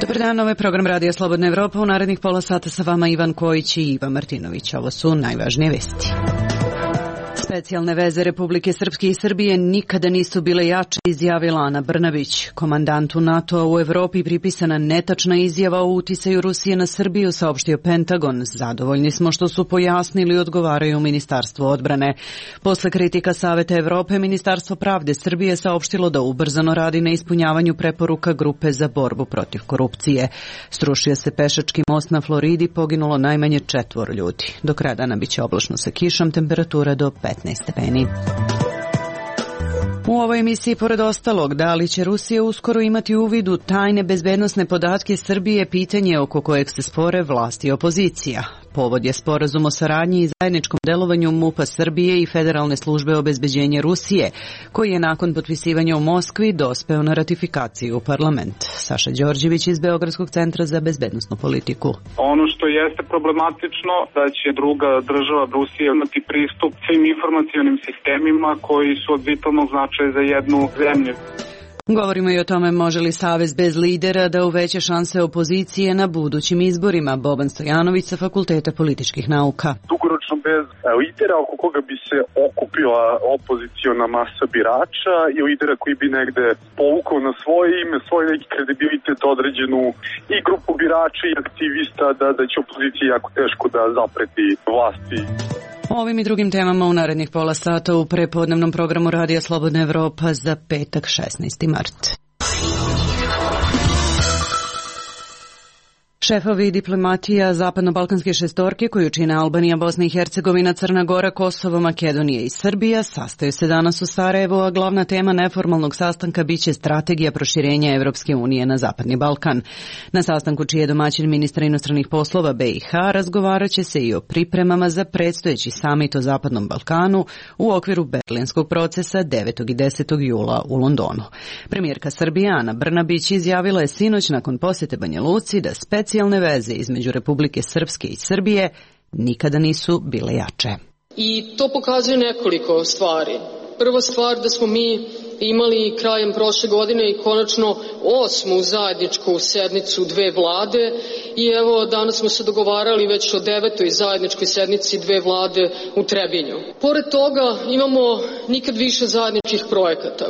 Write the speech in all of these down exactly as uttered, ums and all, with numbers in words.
Dobar dan, ovo je program Radija Slobodna Evropa. U narednih pola sata sa vama Ivan Kojić i Ivan Martinović. Ovo su najvažnije vesti. Specijalne veze Republike Srpske i Srbije nikada nisu bile jače, izjavila Ana Brnabić. Komandantu NATO-a u Evropi pripisana netačna izjava o uticaju Rusije na Srbiju, saopštio Pentagon. Zadovoljni smo što su pojasnili, odgovaraju u Ministarstvu odbrane. Posle kritika Saveta Evrope, Ministarstvo pravde Srbije saopštilo da ubrzano radi na ispunjavanju preporuka Grupe za borbu protiv korupcije. Srušio se pešački most na Floridi, poginulo najmanje četvoro ljudi. Do kraja dana biće oblačno sa kišom, temperatura do petnaest stepeni. U ovoj emisiji, pored ostalog, da li će Rusija uskoro imati uvid u tajne bezbednosne podatke Srbije, pitanje oko kojeg se spore vlasti i opozicija. Povod je sporazum o saradnji i zajedničkom delovanju MUP-a Srbije i Federalne službe obezbeđenja Rusije, koji je nakon potpisivanja u Moskvi dospeo na ratifikaciju u parlament. Saša Đorđević iz Beogradskog centra za bezbednosnu politiku. Ono što jeste problematično, da će druga država Rusija imati pristup svim informacionim sistemima koji su od vitalnog značaja za jednu zemlju. Govorimo i o tome može li Savez bez lidera da uveća šanse opozicije na budućim izborima. Boban Stojanović sa Fakulteta političkih nauka. Dugoročno bez lidera oko koga bi se okupila opoziciona masa birača i lidera koji bi negde povukao na svoje ime, svoj neki kredibilitet određenu i grupu birača i aktivista da, da će opozicija jako teško da zapreti vlasti. O ovim i drugim temama u narednih pola sata u prepodnevnom programu Radija Slobodna Evropa za petak šesnaesti mart. Šefovi diplomatija zapadno-balkanske šestorke koju čine Albanija, Bosna i Hercegovina, Crna Gora, Kosovo, Makedonija i Srbija sastaju se danas u Sarajevu, a glavna tema neformalnog sastanka biće strategija proširenja Evropske unije na Zapadni Balkan. Na sastanku, čiji je domaćin ministra inostranih poslova B i H, razgovarat će se i o pripremama za predstojeći samit o Zapadnom Balkanu u okviru Berlinskog procesa devetog i desetog jula u Londonu. Premijerka Srbije Ana Brnabić izjavila je sinoć nakon posjete Banja Luci da specijalne veze između Republike Srpske i Srbije nikada nisu bile jače. I to pokazuje nekoliko stvari. Prva stvar da smo mi imali krajem prošle godine i konačno osmu zajedničku sednicu dve vlade i evo danas smo se dogovarali već o devetoj zajedničkoj sednici dve vlade u Trebinju. Pored toga imamo nikad više zajedničkih projekata.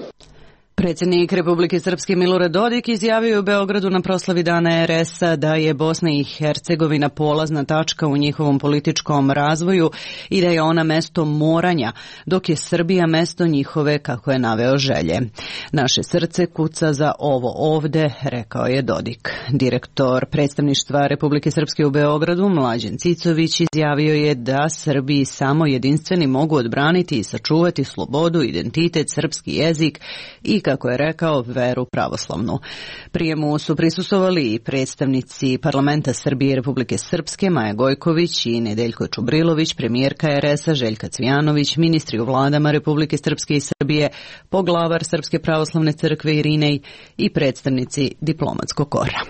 Predsjednik Republike Srpske Milorad Dodik izjavio u Beogradu na proslavi Dana R S-a da je Bosna i Hercegovina polazna tačka u njihovom političkom razvoju i da je ona mesto moranja, dok je Srbija mesto njihove, kako je naveo, želje. Naše srce kuca za ovo ovde, rekao je Dodik. Direktor predstavništva Republike Srpske u Beogradu, Mlađan Cicović, izjavio je da Srbiji samo jedinstveni mogu odbraniti i sačuvati slobodu, identitet, srpski jezik i, kako je rekao, veru pravoslavnu. Prijemu su prisustvovali i predstavnici parlamenta Srbije i Republike Srpske, Maja Gojković i Nedeljko Čubrilović, premijerka R S-a Željka Cvijanović, ministri u vladama Republike Srpske i Srbije, poglavar Srpske pravoslavne crkve Irinej i predstavnici diplomatskog kora.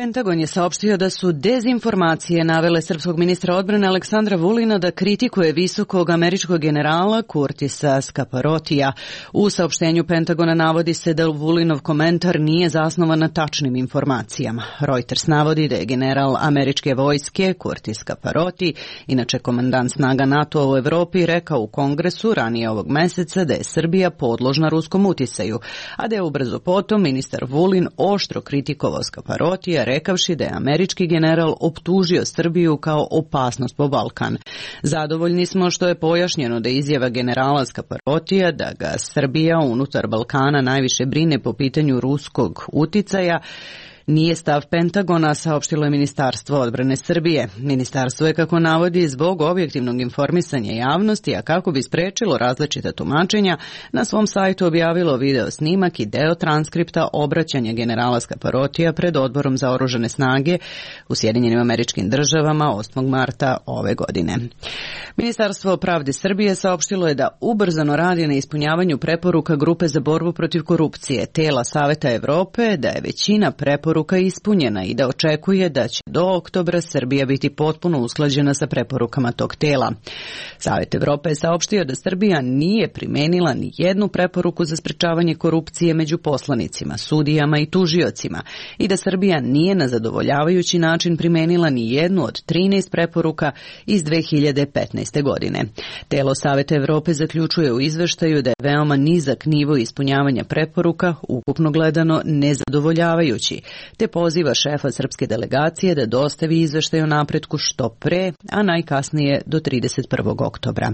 Pentagon je saopštio da su dezinformacije navele srpskog ministra odbrane Aleksandra Vulina da kritikuje visokog američkog generala Kurtisa Skaparotija. U saopštenju Pentagona navodi se da Vulinov komentar nije zasnovan na tačnim informacijama. Reuters navodi da je general američke vojske Kurtis Skaparoti, inače komandant snaga NATO u Evropi, rekao u Kongresu ranije ovog meseca da je Srbija podložna ruskom uticaju, a da je ubrzo potom ministar Vulin oštro kritikovao Skaparotija, rekavši da je američki general optužio Srbiju kao opasnost po Balkan. Zadovoljni smo što je pojašnjeno da izjava generala Skaparotija da ga Srbija unutar Balkana najviše brine po pitanju ruskog uticaja nije stav Pentagona, saopštilo je Ministarstvo odbrane Srbije. Ministarstvo je, kako navodi, zbog objektivnog informisanja javnosti, a kako bi sprečilo različita tumačenja, na svom sajtu objavilo video snimak i deo transkripta obraćanja generala Skaparotija pred Odborom za oružane snage u Sjedinjenim Američkim Državama osmog marta ove godine. Ministarstvo pravde Srbije saopštilo je da ubrzano radi na ispunjavanju preporuka Grupe za borbu protiv korupcije, tela Saveta Evrope, da je većina preporuka preporuka ispunjena i da očekuje da će do oktobra Srbija biti potpuno usklađena sa preporukama tog tela. Savet Evrope je saopštio da Srbija nije primenila ni jednu preporuku za sprečavanje korupcije među poslanicima, sudijama i tužiocima i da Srbija nije na zadovoljavajući način primenila ni jednu od trinaest preporuka iz dve hiljade petnaeste. godine. Telo Saveta Evrope zaključuje u izveštaju da je veoma nizak nivo ispunjavanja preporuka, ukupno gledano nezadovoljavajući, te poziva šefa srpske delegacije da dostavi izveštaj o napretku što pre, a najkasnije do trideset prvog oktobra.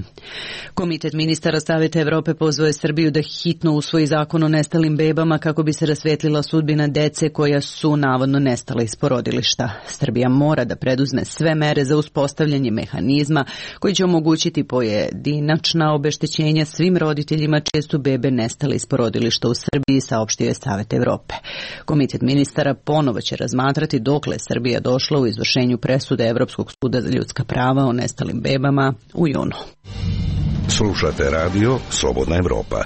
Komitet ministara Saveta Evrope pozvao je Srbiju da hitno usvoji zakon o nestalim bebama kako bi se rasvetlila sudbina dece koja su navodno nestala iz porodilišta. Srbija mora da preduzme sve mere za uspostavljanje mehanizma koji će omogućiti pojedinačna obeštećenja svim roditeljima čije su bebe nestale iz porodilišta u Srbiji, saopštio je Savet Evrope. Komitet ministara ponovo će razmatrati dokle Srbija došla u izvršenju presude Evropskog suda za ljudska prava o nestalim bebama u junu. Slušate radio Slobodna Evropa.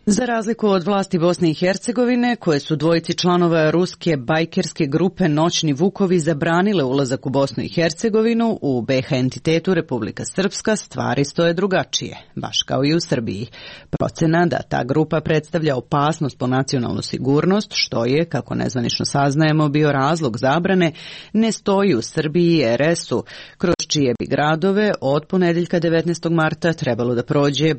Za razliku od vlasti Bosne i Hercegovine, koje su dvojici članova ruske bajkerske grupe Noćni Vukovi zabranile ulazak u Bosnu i Hercegovinu, u be ha entitetu Republika Srpska stvari stoje drugačije, baš kao i u Srbiji. Procena da ta grupa predstavlja opasnost po nacionalnu sigurnost, što je, kako nezvanično saznajemo, bio razlog zabrane, ne stoji u Srbiji i er es-u, kroz čije bi gradove od ponedeljka devetnaestog marta trebalo da prođe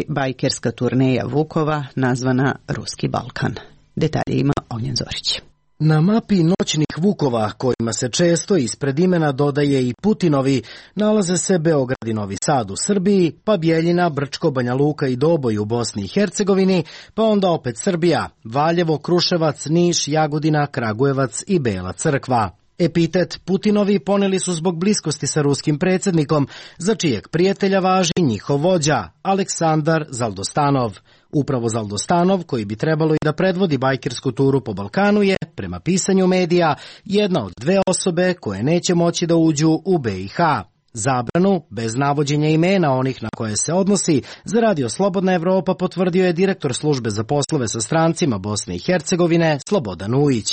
bajkerska turneja Vukova nazvana Ruski Balkan. Detalje ima Ognjen Zorić. Na mapi Noćnih Vukova, kojima se često ispred imena dodaje i Putinovi, nalaze se Beograd i Novi Sad u Srbiji, pa Bjeljina, Brčko, Banja Luka i Doboj u Bosni i Hercegovini, pa onda opet Srbija, Valjevo, Kruševac, Niš, Jagodina, Kragujevac i Bela Crkva. Epitet Putinovi poneli su zbog bliskosti sa ruskim predsjednikom, za čijeg prijatelja važi njihov vođa, Aleksandar Zaldostanov. Upravo Zaldostanov, koji bi trebalo i da predvodi bajkersku turu po Balkanu, je, prema pisanju medija, jedna od dve osobe koje neće moći da uđu u be i ha. Zabranu, bez navođenja imena onih na koje se odnosi, za radio Slobodna Evropa potvrdio je direktor službe za poslove sa strancima Bosne i Hercegovine Slobodan Ujić.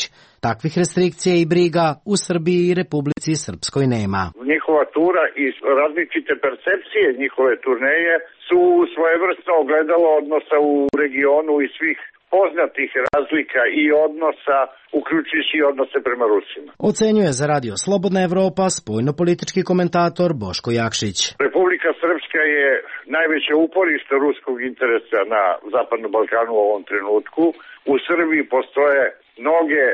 Takvih restrikcija i briga u Srbiji i Republici Srpskoj nema. Njihova tura i različite percepcije njihove turneje su svojevrsno ogledalo odnosa u regionu i svih poznatih razlika i odnosa, uključujući i odnose prema Rusima. Ocenjuje za radio Slobodna Evropa spoljnopolitički komentator Boško Jakšić. Republika Srpska je najveće uporište ruskog interesa na Zapadnom Balkanu u ovom trenutku. U Srbiji postoje mnoge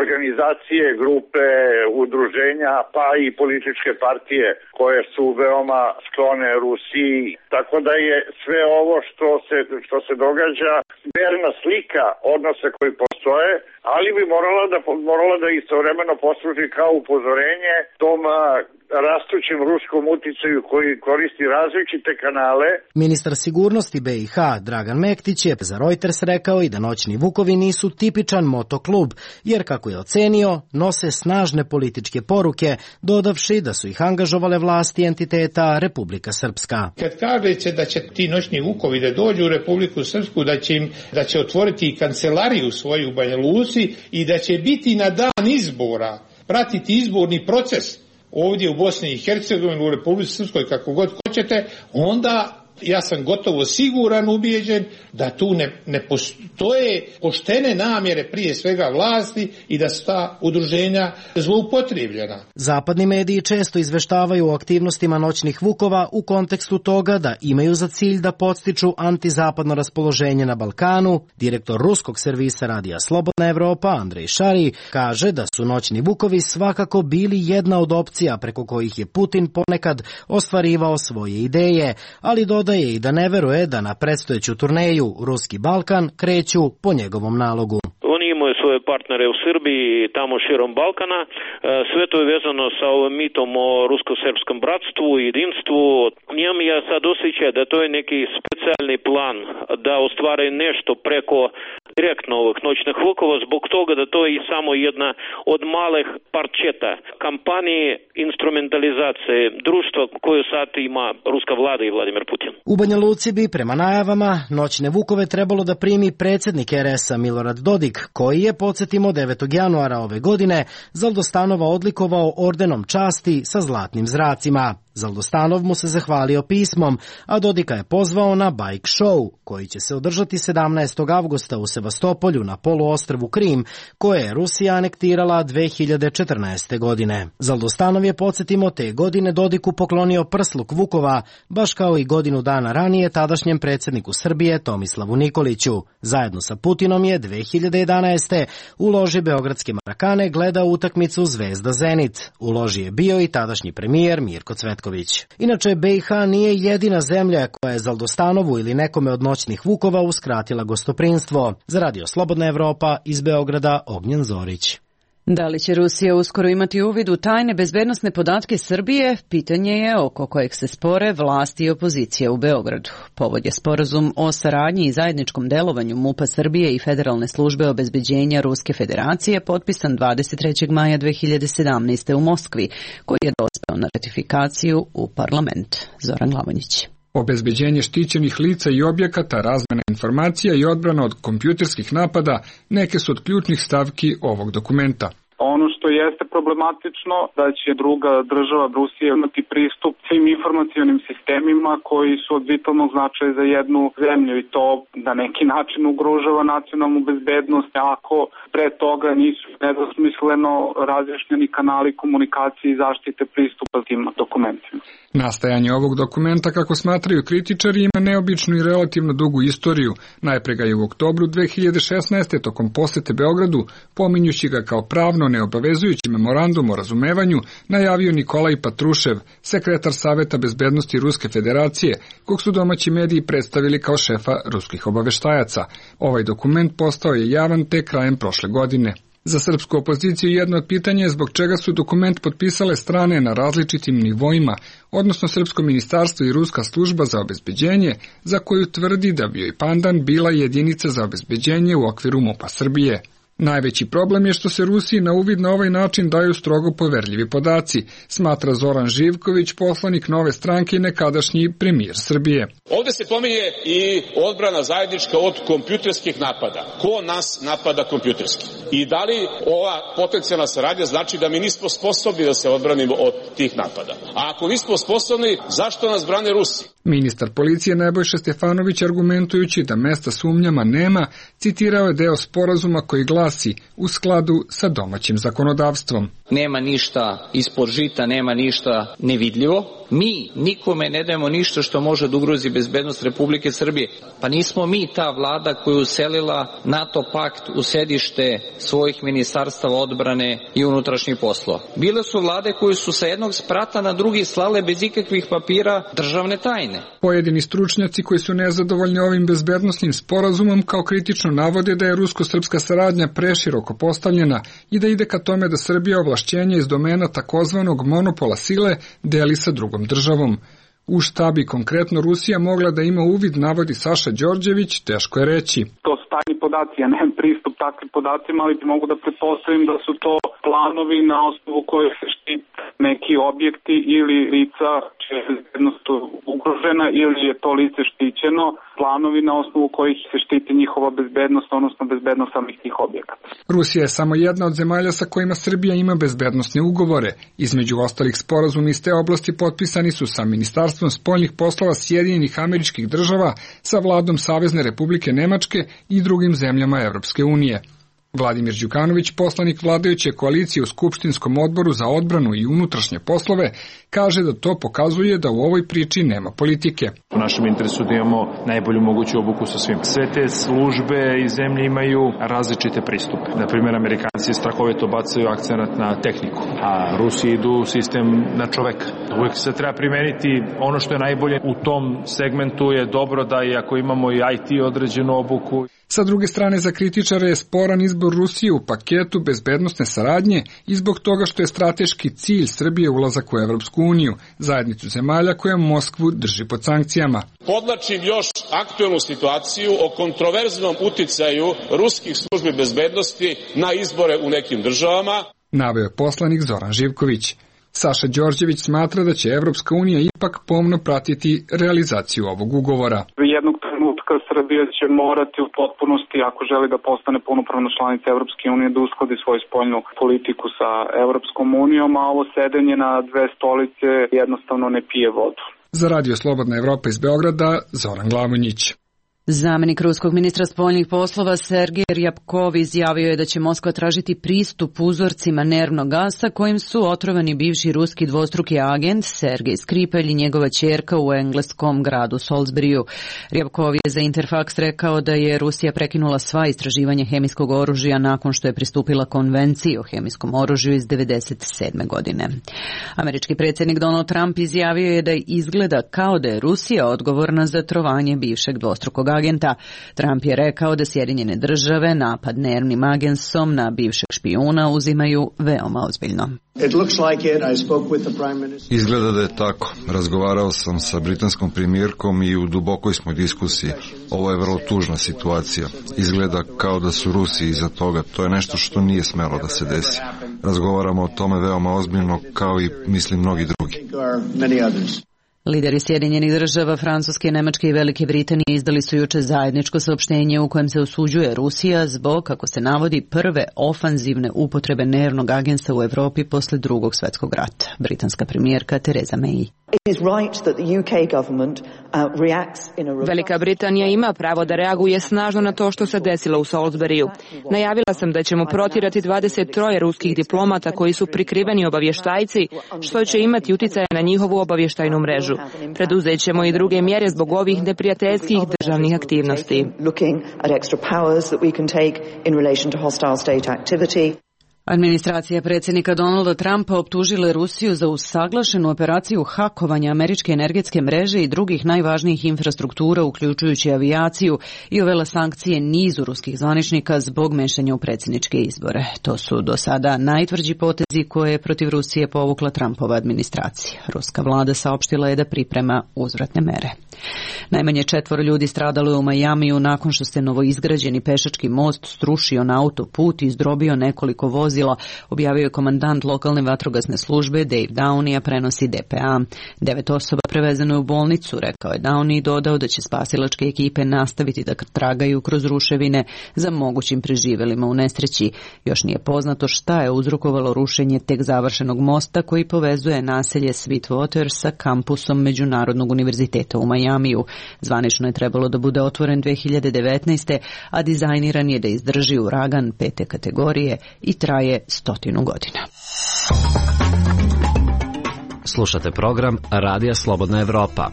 organizacije, grupe, udruženja, pa i političke partije koje su veoma sklone Rusiji. Tako da je sve ovo što se, što se događa verna slika odnosa koji postoje, ali bi morala da, morala da istovremeno posluži kao upozorenje tom rastućem ruskom uticaju koji koristi različite kanale. Ministar sigurnosti be i ha Dragan Mektić je za Reuters rekao i da Noćni Vukovi nisu tipičan motoklub, jer kako je ocenio, nose snažne političke poruke, dodavši da su ih angažovale vlasti entiteta Republika Srpska. Kad kažete da će ti Noćni Vukovi da dođu u Republiku Srpsku, da će, im, da će otvoriti kancelariju svoju u Banja Luci i da će biti na dan izbora, pratiti izborni proces ovdje u Bosni i Hercegovini, u Republici Srpskoj, kako god hoćete, onda ja sam gotovo siguran, ubijeđen da tu ne, ne postoje poštene namjere prije svega vlasti i da su ta udruženja zloupotrijebljena. Zapadni mediji često izveštavaju o aktivnostima Noćnih Vukova u kontekstu toga da imaju za cilj da podstiču antizapadno raspoloženje na Balkanu. Direktor ruskog servisa radija Slobodna Evropa Andrej Šari kaže da su Noćni Vukovi svakako bili jedna od opcija preko kojih je Putin ponekad ostvarivao svoje ideje, ali do Dodaje i da ne veruje da na predstojeću turneju Ruski Balkan kreću po njegovom nalogu. Oni imaju svoje partnere u Srbiji i tamo širom Balkana. Sve to je vezano sa ovim mitom o rusko-srpskom bratstvu i jedinstvu. Imam ja sad osjećaj da to je neki specijalni plan da ostvaraju nešto preko direktno ovih Noćnih Vukova, zbog toga da to je i samo jedna od malih parčeta kampanije instrumentalizacije društva koju sad ima ruska vlada i Vladimir Putin. U Banja Luci bi prema najavama Noćne Vukove trebalo da primi predsjednik er es-a Milorad Dodik, koji je, podsjetimo, podsjetimo, devetog januara ove godine Zaldostanova odlikovao ordenom časti sa zlatnim zracima. Zaldostanov mu se zahvalio pismom, a Dodika je pozvao na bike show, koji će se održati sedamnaestog avgusta u Sevastopolju na poluostrvu Krim, koje je Rusija anektirala dve hiljade četrnaeste. godine. Zaldostanov je, podsjetimo, te godine Dodiku poklonio prsluk Vukova, baš kao i godinu dana ranije tadašnjem predsjedniku Srbije Tomislavu Nikoliću. Zajedno sa Putinom je dve hiljade jedanaeste. u loži Beogradske Marakane gledao utakmicu Zvezda Zenit. U loži je bio i tadašnji premijer Mirko Cvetković. Inače, be i ha nije jedina zemlja koja je Zaldostanovu ili nekome od noćnih Vukova uskratila gostoprinstvo. Za Radio Slobodna Evropa iz Beograda, Ognjen Zorić. Da li će Rusija uskoro imati uvid u tajne bezbednosne podatke Srbije? Pitanje je oko kojeg se spore vlasti i opozicija u Beogradu. Povod je sporazum o saradnji i zajedničkom delovanju MUP-a Srbije i Federalne službe obezbeđenja Ruske federacije potpisan dvadeset trećeg maja dve hiljade sedamnaeste. u Moskvi, koji je dospeo na ratifikaciju u parlament. Zoran Lavonjić. Obezbeđenje štićenih lica i objekata, razmena informacija i odbrana od kompjuterskih napada neke su od ključnih stavki ovog dokumenta. Ono što jeste problematično da će druga država Rusija imati pristup svim informacionim sistemima koji su od vitalnog značaja za jednu zemlju i to na neki način ugrožava nacionalnu bezbednost ako pre toga nisu nedosmisleno razjašnjeni kanali komunikacije i zaštite pristupa tim dokumentima. Nastajanje ovog dokumenta, kako smatraju kritičari, ima neobičnu i relativno dugu istoriju. Najpre ga je u oktobru dve hiljade šesnaeste. tokom posete Beogradu, pominjući ga kao pravno neobavezujući memorandum o razumevanju, najavio Nikolaj Patrušev, sekretar Saveta bezbednosti Ruske federacije, kog su domaći mediji predstavili kao šefa ruskih obaveštajaca. Ovaj dokument postao je javan tek krajem prošle godine. Za srpsku opoziciju jedno od pitanja je zbog čega su dokument potpisale strane na različitim nivoima, odnosno Srpsko ministarstvo i Ruska služba za obezbeđenje, za koju tvrdi da bi joj pandan bila jedinica za obezbeđenje u okviru MUP-a Srbije. Najveći problem je što se Rusiji na uvid na ovaj način daju strogo poverljivi podaci, smatra Zoran Živković, poslanik Nove stranke i nekadašnji premijer Srbije. Ovde se pominje i odbrana zajednička od kompjuterskih napada. Ko nas napada kompjuterski? I da li ova potencijalna saradnja znači da mi nismo sposobni da se odbranimo od tih napada? A ako nismo sposobni, zašto nas brane Rusi? Ministar policije Nebojša Stefanović, argumentujući da mesta sumnjama nema, citirao je deo sporazuma koji glasi u skladu sa domaćim zakonodavstvom. Nema ništa ispod žita, nema ništa nevidljivo. Mi nikome ne dajemo ništa što može da ugrozi bezbednost Republike Srbije. Pa nismo mi ta vlada koja je uselila NATO pakt u sedište svojih ministarstava odbrane i unutrašnjih poslova. Bile su vlade koje su sa jednog sprata na drugi slale bez ikakvih papira državne tajne. Pojedini stručnjaci koji su nezadovoljni ovim bezbednosnim sporazumom kao kritično navode da je rusko-srpska saradnja preširoko postavljena i da ide ka tome da Srbija ovlašćenja iz domena takozvanog monopola sile deli sa drugom državom. U šta bi konkretno Rusija mogla da ima uvid, navodi Saša Đorđević, teško je reći. To su tajni podaci, ja nemam pristup takvim podacima, ali mogu da pretpostavim da su to planovi na osnovu kojih se štite neki objekti ili lica čija je bezbednost ugrožena ili je to lice štićeno, planovi na osnovu kojih se štiti njihova bezbednost, odnosno bezbednost samih tih objekata. Rusija je samo jedna od zemalja sa kojima Srbija ima bezbednosne ugovore. Između ostalih sporazuma iz te oblasti potpisani su sa Ministarstvom spoljnih poslova Sjedinjenih Američkih Država, sa vladom Savezne Republike Nemačke i drugim zemljama Evropske unije. Vladimir Đukanović, poslanik vladajuće koalicije u Skupštinskom odboru za odbranu i unutrašnje poslove, kaže da to pokazuje da u ovoj priči nema politike. U našem interesu da imamo najbolju moguću obuku sa svim. Sve te službe i zemlje imaju različite pristupe. Na primjer, Amerikanci strahovito bacaju akcenat na tehniku, a Rusi idu sistem na čoveka. Uvijek se treba primeniti ono što je najbolje u tom segmentu. Je dobro da i ako imamo i I T određenu obuku. Sa druge strane, za kritičare je sporan izbor Rusije u paketu bezbednosne saradnje i zbog toga što je strateški cilj Srbije ulazak u Evropsku uniju, zajednicu zemalja koja Moskvu drži pod sankcijama. Podlačim još aktuelnu situaciju o kontroverznom uticaju ruskih službi bezbednosti na izbore u nekim državama. Naveo je poslanik Zoran Živković. Saša Đorđević smatra da će Evropska unija ipak pomno pratiti realizaciju ovog ugovora. Jednog trenutka trenutka Srbija će morati u potpunosti, ako želi da postane punopravna članica Evropske unije, da uskladi svoju spoljnu politiku sa Evropskom unijom, a ovo sedenje na dve stolice jednostavno ne pije vodu. Za Radio Slobodna Evropa iz Beograda, Zoran Glamonjić. Zamenik ruskog ministra spoljnih poslova Sergej Ryabkov izjavio je da će Moskva tražiti pristup uzorcima nervnog gasa kojim su otrovani bivši ruski dvostruki agent Sergej Skripalj i njegova ćerka u engleskom gradu Salisburyju. Ryabkov je za Interfax rekao da je Rusija prekinula sva istraživanja hemijskog oružja nakon što je pristupila konvenciji o hemijskom oružju iz devedeset sedme godine. Američki predsjednik Donald Trump izjavio je da izgleda kao da je Rusija odgovorna za trovanje bivšeg dvostrukog agenta. Trump je rekao da Sjedinjene države napad nervnim agensom na bivšeg špijuna uzimaju veoma ozbiljno. Izgleda da je tako. Razgovarao sam sa britanskom premijerkom i u dubokoj smo diskusiji. Ovo je vrlo tužna situacija. Izgleda kao da su Rusi iza toga. To je nešto što nije smelo da se desi. Razgovaramo o tome veoma ozbiljno, kao i mislim mnogi drugi. Lideri Sjedinjenih država, Francuske, Nemačke i Velike Britanije izdali su juče zajedničko saopštenje u kojem se osuđuje Rusija zbog, kako se navodi, prve ofanzivne upotrebe nervnog agensa u Evropi posle drugog svjetskog rata. Britanska premijerka Theresa May. Velika Britanija ima pravo da reaguje snažno na to što se desilo u Salisburyju. Najavila sam da ćemo protjerati dvadeset tri ruskih diplomata koji su prikriveni obavještajci, što će imati uticaja na njihovu obavještajnu mrežu. Preduzet ćemo i druge mjere zbog ovih neprijateljskih državnih aktivnosti. Administracija predsjednika Donalda Trumpa optužila Rusiju za usaglašenu operaciju hakovanja američke energetske mreže i drugih najvažnijih infrastruktura, uključujući avijaciju, i uvela sankcije nizu ruskih zvaničnika zbog mešanja u predsjedničke izbore. To su do sada najtvrđi potezi koje je protiv Rusije povukla Trumpova administracija. Ruska vlada saopštila je da priprema uzvratne mere. Najmanje četvoro ljudi stradalo je u Majamiju nakon što se novoizgrađeni pešački most srušio na autoput i izdrobio nekoliko vozila, objavio je komandant lokalne vatrogasne službe Dave Downey, a prenosi D P A. Devet osoba prevezeno je u bolnicu, rekao je Downey i dodao da će spasilačke ekipe nastaviti da tragaju kroz ruševine za mogućim preživelima u nesreći. Još nije poznato šta je uzrokovalo rušenje tek završenog mosta koji povezuje naselje Sweetwater sa kampusom Međunarodnog univerziteta u Majamiju. Zvanično je trebalo da bude otvoren dve hiljade devetnaeste. a dizajniran je da izdrži uragan pete kategorije i traje stotinu godina. Slušate program Radija Slobodna Evropa.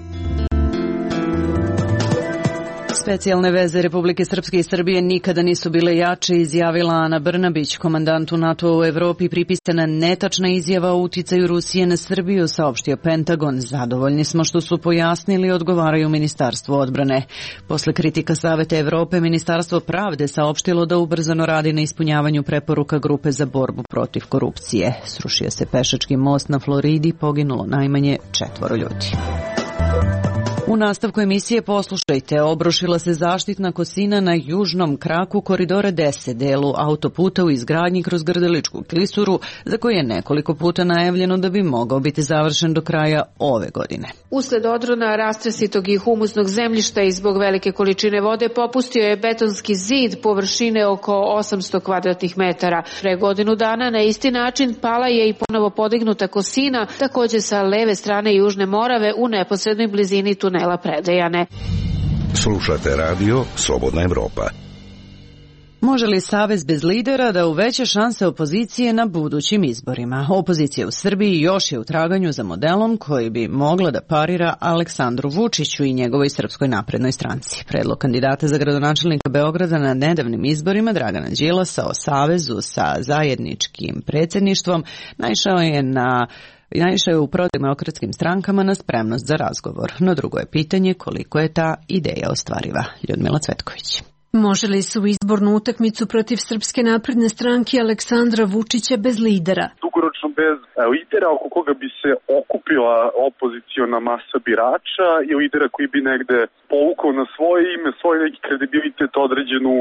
Specijalne veze Republike Srpske i Srbije nikada nisu bile jače, izjavila Ana Brnabić, komandantu NATO u Evropi pripisana netačna izjava o uticaju Rusije na Srbiju, saopštio Pentagon. Zadovoljni smo što su pojasnili, odgovaraju Ministarstvo odbrane. Posle kritika Saveta Evrope, Ministarstvo pravde saopštilo da ubrzano radi na ispunjavanju preporuka grupe za borbu protiv korupcije. Srušio se pešački most na Floridi, poginulo najmanje četvoro ljudi. U nastavku emisije poslušajte, obrušila se zaštitna kosina na južnom kraku koridora deset, delu autoputa u izgradnji kroz Grdeličku klisuru, za koji je nekoliko puta najavljeno da bi mogao biti završen do kraja ove godine. Usled odrona rastresitog i humusnog zemljišta i zbog velike količine vode popustio je betonski zid površine oko osamsto kvadratnih metara. Pre godinu dana na isti način pala je i ponovo podignuta kosina, takođe sa leve strane Južne Morave u neposrednoj blizini tunela Predejane. Slušate radio Slobodna Evropa. Može li Savez bez lidera da uveća šanse opozicije na budućim izborima? Opozicija u Srbiji još je u traganju za modelom koji bi mogla da parira Aleksandru Vučiću i njegovoj Srpskoj naprednoj stranci. Predlog kandidata za gradonačelnika Beograda na nedavnim izborima Dragana Đilasa o savezu sa zajedničkim predsjedništvom naišao je na Najviše je u prodemokratskim strankama na spremnost za razgovor. No drugo je pitanje koliko je ta ideja ostvariva. Ljudmila Cvetković. Može li se u izbornu utakmicu protiv Srpske napredne stranke Aleksandra Vučića bez lidera? Dugo dugoročno bez lidera oko koga bi se okupila opoziciona masa birača i lidera koji bi negde povukao na svoje ime, svoj neki kredibilitet određenu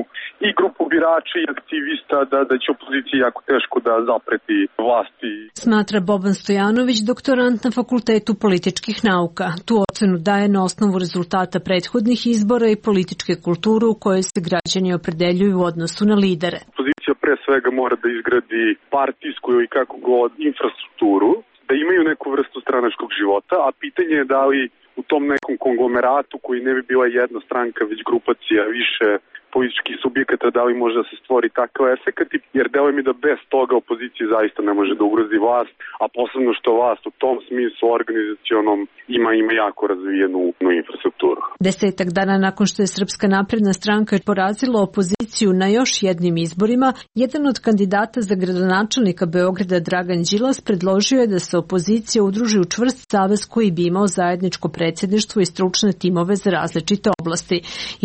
i grupu birača i aktivista da, da će opoziciji jako teško da zapreti vlasti. Smatra Boban Stojanović, doktorant na Fakultetu političkih nauka. Tu ocenu daje na osnovu rezultata prethodnih izbora i političke kulture u kojoj se građani opredeljuju u odnosu na lidere. Opozicija pre svega mora da izgradi partijsku i kako god infrastrukturu, da imaju neku vrstu stranačkog života, a pitanje je da li u tom nekom konglomeratu koji ne bi bila jedna stranka, već grupacija više političkih subjekata, da li može da se stvori takav efekat, jer deluje mi da bez toga opozicija zaista ne može da ugrozi vlast, a posebno što vlast u tom smislu organizacionom ima, ima jako razvijenu infrastrukturu. Desetak dana nakon što je Srpska napredna stranka porazila opoziciju na još jednim izborima, jedan od kandidata za gradonačelnika Beograda, Dragan Đilas, predložio je da se opozicija udruži u čvrst savez koji bi imao zajedničko predsjedništvo i stručne timove za različite oblasti.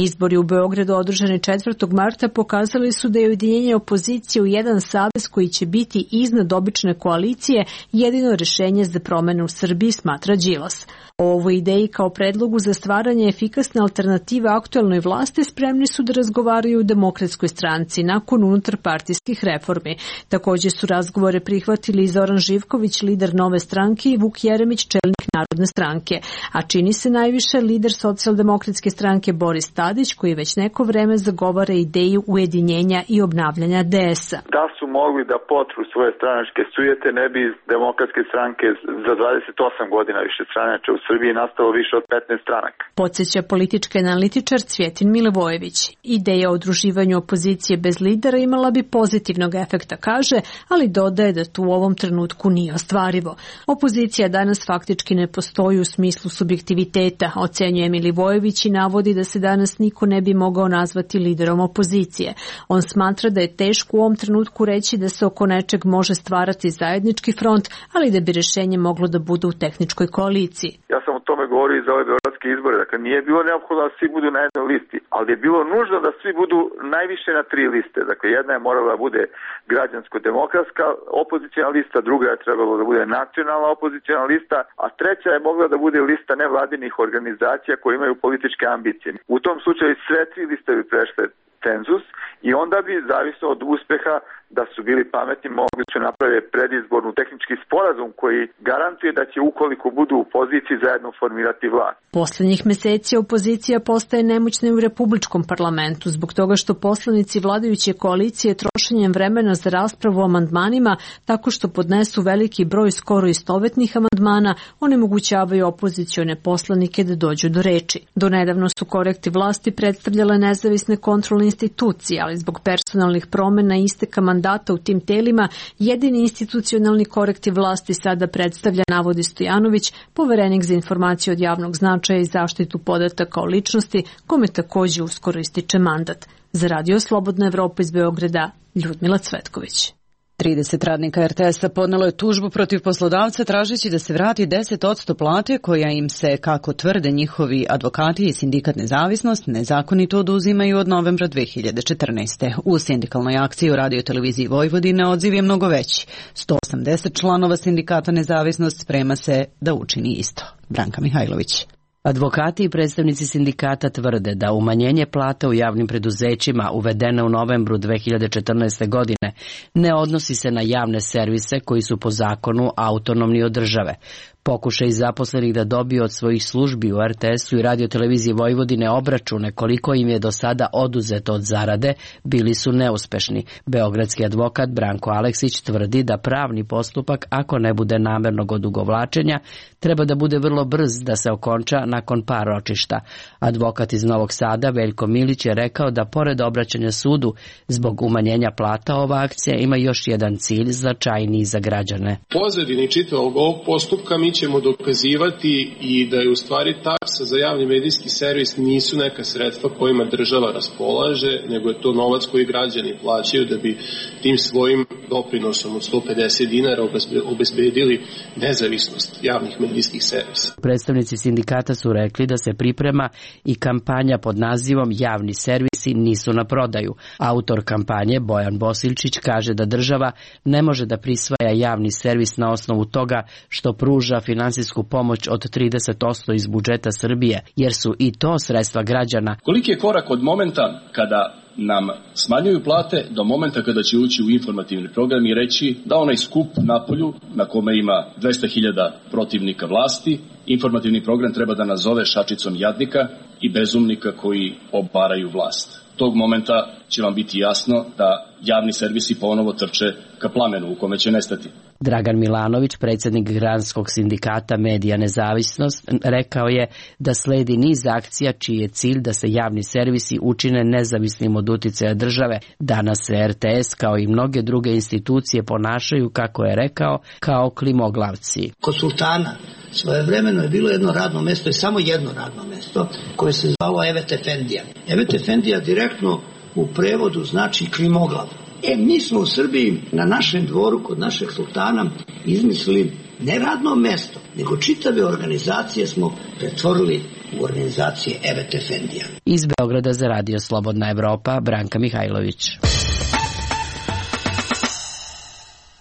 Izbori u Beogradu održani četvrtog marta pokazali su da je ujedinjenje opozicije u jedan savez koji će biti iznad obične koalicije jedino rešenje za promene u Srbiji, smatra Đilas. O ovoj ideji kao predlogu za stvaranje efikasne alternative aktuelnoj vlasti spremni su da razgovaraju u Demokratskoj stranci nakon unutarpartijskih reformi. Također su razgovore prihvatili i Zoran Živković, lider Nove stranke, i Vuk Jeremić, čelnik Narodne stranke. A čini se najviše lider Socijaldemokratske stranke Boris Tadić, koji već neko vreme zagovara ideju ujedinjenja i obnavljanja D S-a. Da su mogli da potru svoje stranačke sujete, ne bi Demokratske stranke za dvadeset osam godina više stranača u Srbiji nastalo više od petnaest stranaka. Podsjeća politički analitičar Cvjetin Milivojević. Ideja o udruživanju opozicije bez lidera imala bi pozitivnog efekta, kaže, ali dodaje da tu u ovom trenutku nije ostvarivo. Opozicija danas faktički ne postoji u smislu subjektiviteta, ocenjuje Milivojević i navodi da se danas niko ne bi mogao nazvati liderom opozicije. On smatra da je teško u ovom trenutku reći da se oko nečeg može stvarati zajednički front, ali da bi rješenje moglo da bude u tehničkoj koaliciji. Ja sam o tome govorio i za ove beogradske izbore, dakle nije bilo neophodno da svi budu na jednoj listi, ali je bilo nužno da svi budu najviše na tri liste. Dakle, jedna je morala da bude građansko-demokratska opozicijna lista, druga je trebalo da bude nacionalna opozicijna lista, a treća je mogla da bude lista nevladinih organizacija koje imaju političke ambicije. U tom slučaju sve tri liste bi prešle cenzus i onda bi, zavisno od uspeha, da su bili pametni, mogli su napraviti predizbornu tehnički sporazum koji garantuje da će, ukoliko budu u poziciji, zajedno formirati vlast. Poslednjih meseci opozicija postaje nemoćna i u Republičkom parlamentu zbog toga što poslanici vladajuće koalicije trošenjem vremena za raspravu o amandmanima tako što podnesu veliki broj skoro istovetnih amandmana onemogućavaju opozicione poslanike da dođu do reči. Donedavno su korekti vlasti predstavljale nezavisne kontrolne institucije, ali zbog personalnih promena i isteka mandata u tim telima, jedini institucionalni korektiv vlasti sada predstavlja, navodi Stojanović, poverenik za informacije od javnog značaja i zaštitu podataka o ličnosti, kome takođe uskoro ističe mandat. Za Radio Slobodna Evropa iz Beograda, Ljudmila Cvetković. trideset radnika er te es-a podnelo je tužbu protiv poslodavca tražeći da se vrati deset posto plate koja im se, kako tvrde njihovi advokati i sindikat Nezavisnost, nezakonito oduzimaju od novembra dve hiljade četrnaeste. U sindikalnoj akciji u Radio televiziji Vojvodine odziv je mnogo veći. sto osamdeset članova sindikata Nezavisnost sprema se da učini isto. Branka Mihajlović. Advokati i predstavnici sindikata tvrde da umanjenje plata u javnim preduzećima uvedeno u novembru dve hiljade četrnaeste. godine ne odnosi se na javne servise koji su po zakonu autonomni od države. Pokušaj zaposlenih da dobiju od svojih službi u er te es-u i Radio televiziji Vojvodine obračune koliko im je do sada oduzeto od zarade bili su neuspešni. Beogradski advokat Branko Aleksić tvrdi da pravni postupak, ako ne bude namernog odugovlačenja, treba da bude vrlo brz da se okonča nakon par ročišta. Advokat iz Novog Sada Veljko Milić je rekao da pored obraćanja sudu zbog umanjenja plata, ova akcija ima još jedan cilj značajniji za građane. Pozadini čitavog ovog postupka mi ćemo dokazivati i da je u stvari taksa za javni medijski servis nisu neka sredstva kojima država raspolaže, nego je to novac koji građani plaćaju da bi tim svojim doprinosom od sto pedeset dinara obezbedili nezavisnost javnih medijskih servisa. Predstavnici sindikata su rekli da se priprema i kampanja pod nazivom Javni servisi nisu na prodaju. Autor kampanje Bojan Bosilčić kaže da država ne može da prisvaja javni servis na osnovu toga što pruža finansijsku pomoć od trideset posto iz budžeta Srbije, jer su i to sredstva građana. Koliki je korak od momenta kada nam smanjuju plate do momenta kada će ući u informativni program i reći da onaj skup napolju na kome ima dvesta hiljada protivnika vlasti, informativni program treba da nazove šačicom jadnika i bezumnika koji obaraju vlast. Tog momenta će vam biti jasno da javni servisi ponovo trče ka plamenu u kome će nestati. Dragan Milanović, predsjednik Granskog sindikata Medija Nezavisnost, rekao je da sledi niz akcija čiji je cilj da se javni servisi učine nezavisnim od uticaja države. Danas se R T S kao i mnoge druge institucije ponašaju, kako je rekao, kao klimoglavci. Kod sultana svojevremeno je bilo jedno radno mesto, je samo jedno radno mesto, koje se zvalo Evet Efendija. Evet Efendija direktno u prevodu znači klimoglav. E, mi smo u Srbiji na našem dvoru kod našeg sultana izmislili ne radno mesto, nego čitave organizacije smo pretvorili u organizacije Evet Efendija. Iz Beograda za Radio Slobodna Evropa, Branka Mihajlović.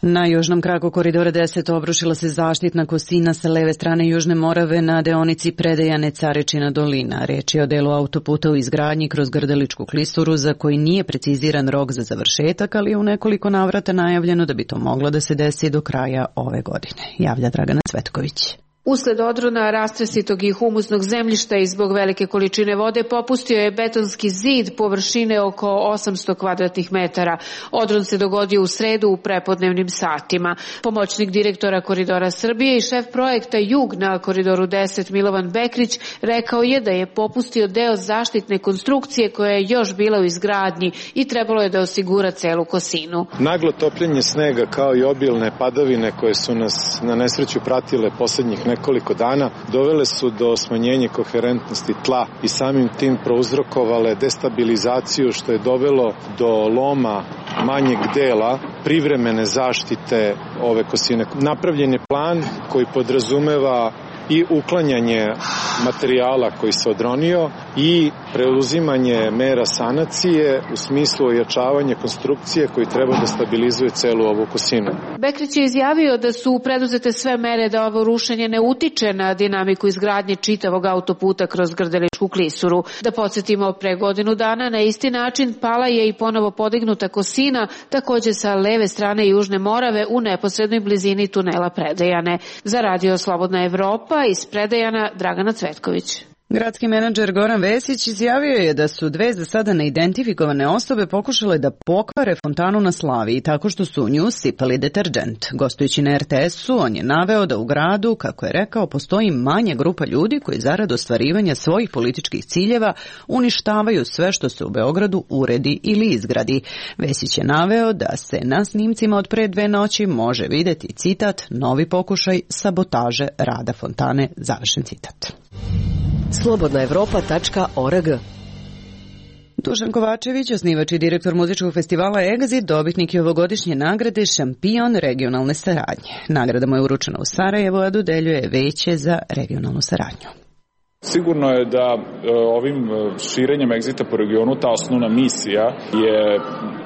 Na južnom kraku koridora deset obrušila se zaštitna kosina sa leve strane Južne Morave na deonici Predejane Carečina dolina. Reč je o delu autoputa u izgradnji kroz Grdeličku klisuru za koji nije preciziran rok za završetak, ali je u nekoliko navrata najavljeno da bi to moglo da se desi do kraja ove godine, javlja Dragana Cvetković. Usled odrona rastresitog i humusnog zemljišta i zbog velike količine vode popustio je betonski zid površine oko osamsto kvadratnih metara. Odron se dogodio u sredu u prepodnevnim satima. Pomoćnik direktora Koridora Srbije i šef projekta Jug na Koridoru deset Milovan Bekrić rekao je da je popustio deo zaštitne konstrukcije koja je još bila u izgradnji i trebalo je da osigura celu kosinu. Naglo topljenje snega kao i obilne padavine koje su nas na nesreću pratile poslednjih nekoliko dana dovele su do smanjenja koherentnosti tla i samim tim prouzrokovale destabilizaciju, što je dovelo do loma manjeg dela privremene zaštite ove kosine. Napravljen je plan koji podrazumeva i uklanjanje materijala koji se odronio i preuzimanje mera sanacije u smislu ojačavanja konstrukcije koji treba da stabilizuje celu ovu kosinu. Bekrić je izjavio da su preduzete sve mere da ovo rušenje ne utiče na dinamiku izgradnje čitavog autoputa kroz Grdeličku klisuru. Da podsjetimo, pre godinu dana na isti način pala je i ponovo podignuta kosina, takođe sa leve strane Južne Morave u neposrednoj blizini tunela Predejane. Za Radio Slobodna Evropa iz Predejana, Dragana Cvetković. Gradski menadžer Goran Vesić izjavio je da su dve za sada neidentifikovane osobe pokušale da pokvare fontanu na Slaviji tako što su u nju sipali deterdžent. Gostujući na R T S-u, on je naveo da u gradu, kako je rekao, postoji manja grupa ljudi koji zarad ostvarivanja svojih političkih ciljeva uništavaju sve što se u Beogradu uredi ili izgradi. Vesić je naveo da se na snimcima od pre dve noći može videti citat "Novi pokušaj sabotaže rada fontane", završen citat. slobodna evropa tačka org. Dušan Kovačević, osnivač i direktor muzičkog festivala Exit, dobitnik je ovogodišnje nagrade Šampion regionalne saradnje. Nagrada mu je uručena u Sarajevu, a dodeljuje Veće za regionalnu saradnju. Sigurno je da ovim širenjem Exita po regionu ta osnovna misija je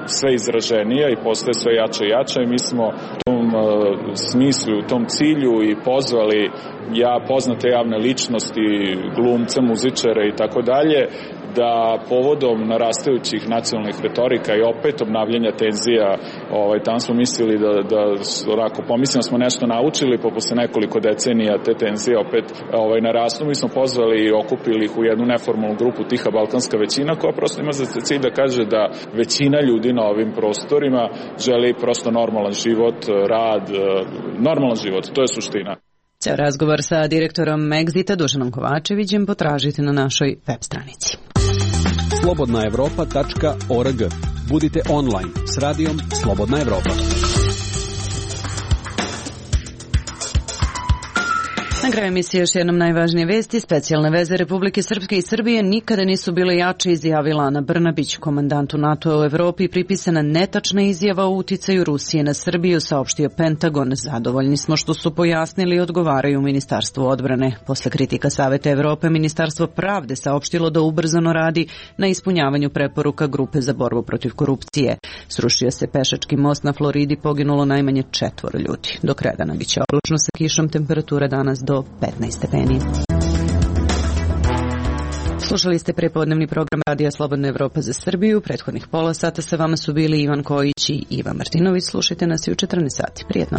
sve izraženija i postaje sve jača i jača i mi smo u tom smislu, u tom cilju i pozvali ja poznate javne ličnosti, glumce, muzičare i tako dalje, da povodom narastajućih nacionalnih retorika i opet obnavljanja tenzija, ovaj, tamo smo mislili da, da onako, pomislimo smo nešto naučili, pa posle nekoliko decenija te tenzije opet ovaj, narastu. Mi smo pozvali i okupili ih u jednu neformalnu grupu Tiha Balkanska većina, koja prosto ima za cilj da kaže da većina ljudi na ovim prostorima želi prosto normalan život, rad, normalan život, to je suština. Ceo razgovor sa direktorom Exita Dušanom Kovačevićem potražite na našoj web stranici. slobodna evropa tačka org. Budite online s radijom Slobodna Evropa. Na kraju emisije još jednom najvažnije vesti. Specijalne veze Republike Srpske i Srbije nikada nisu bile jače, izjavila Ana Brnabić. Komandantu NATO u Evropi pripisana netačna izjava o uticaju Rusije na Srbiju, saopštio Pentagon. Zadovoljni smo što su pojasnili i odgovaraju u Ministarstvu odbrane. Posle kritika Saveta Evrope, Ministarstvo pravde saopštilo da ubrzano radi na ispunjavanju preporuka Grupe za borbu protiv korupcije. Srušio se pešački most na Floridi, poginulo najmanje četvoro ljudi. Do kraja dana biće oblačno sa kišom, temperatura danas do petnaest stepeni. Slušali ste prepodnevni program Radija Slobodna Evropa za Srbiju. Prethodnih pola sata sa vama su bili Ivan Kojić i Iva Martinović. Slušajte nas i u četrnaest sati. Prijetno.